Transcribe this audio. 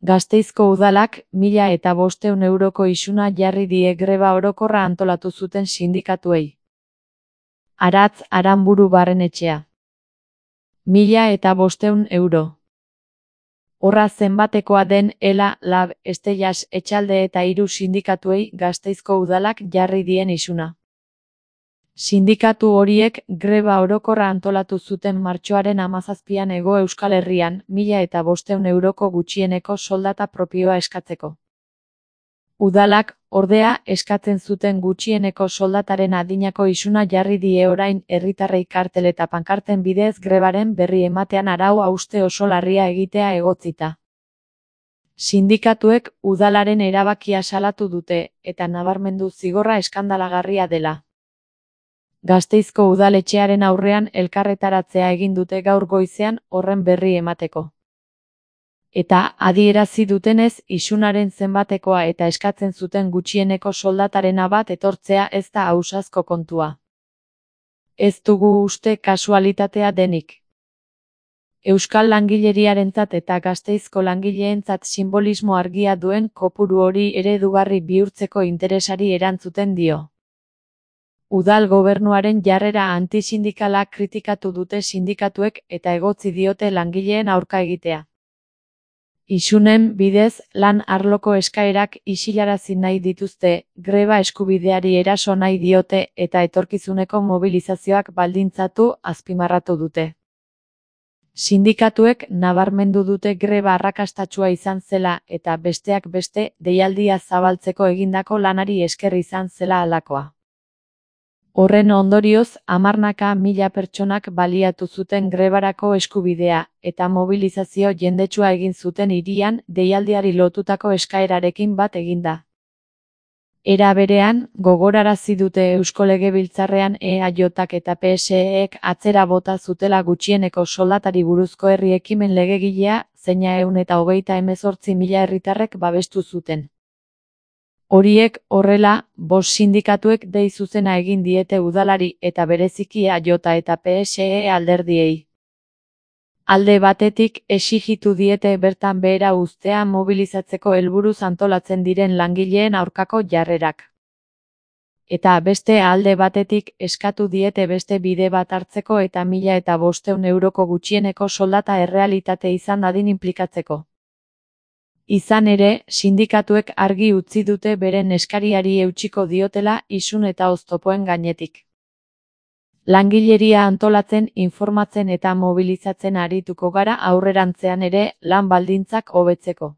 Gasteizko udalak 1.500 euroko isuna jarri die greba orokorra antolatu zuten sindikatuei. Aratz Aranburu Barrenetxea. 1.500 euro. Horra zenbatekoa den ELA, LAB, Estelas, Etxalde eta 3 sindikatuei Gasteizko udalak jarri dien isuna. Sindikatu horiek greba orokorra antolatu zuten martxoaren 17an Hego Euskal Herrian 1.500 euroko gutxieneko soldata propioa eskatzeko. Udalak, ordea, eskatzen zuten gutxieneko soldataren adinako isuna jarri die orain herritarrei kartel eta pankarten bidez grebaren berri ematean arau hauste oso larria egitea egotzita. Sindikatuek udalaren erabakia salatu dute, eta nabarmendu zigorra eskandalagarria dela. Gasteizko udaletxearen aurrean elkarretaratzea egin dute gaur goizean horren berri emateko. Eta adierazi dutenez isunaren zenbatekoa eta eskatzen zuten gutxieneko soldatarena bat etortzea ez da ausazko kontua. Ez dugu uste kasualitatea denik. Euskal langileriarentzat eta Gasteizko langileentzat sinbolismo argia duen kopuru hori eredugarri bihurtzeko interesari erantzuten dio. Udal gobernuaren jarrera antisindikala kritikatu dute sindikatuek eta egotzi diote langileen aurka egitea. Isunen bidez lan arloko eskaerak isilarazi nahi dituzte, greba eskubideari eraso nahi diote eta etorkizuneko mobilizazioak baldintzatu azpimarratu dute. Sindikatuek nabarmendu dute greba arrakastatsua izan zela eta besteak beste deialdia zabaltzeko egindako lanari esker izan zela halakoa. Horren ondorioz, hamarnaka mila pertsonak baliatu zuten grebarako eskubidea, eta mobilizazio jendetsua egin zuten hirian deialdiari lotutako eskaerarekin bat eginda. Era berean, gogorarazi dute Eusko Legebiltzarrean EAJak eta PSEek atzera bota zutela gutxieneko soldatari buruzko herri ekimen legegilea, zeina 128.000 herritarrek babestu zuten. Horiek, horrela, 5 sindikatuek dei zuzena egin diete udalari eta bereziki EAJ eta PSE alderdiei. Alde batetik, exijitu diete bertan behera uztea mobilizatzeko helburuz antolatzen diren langileen aurkako jarrerak. Eta beste alde batetik, eskatu diete beste bide bat hartzeko eta 1.500 euroko gutxieneko soldata errealitate izan dadin inplikatzeko. Izan ere, sindikatuek argi utzi dute beren eskariari eutsiko diotela isun eta oztopoen gainetik. Langileria antolatzen, informatzen eta mobilizatzen arituko gara aurrerantzean ere lan baldintzak hobetzeko.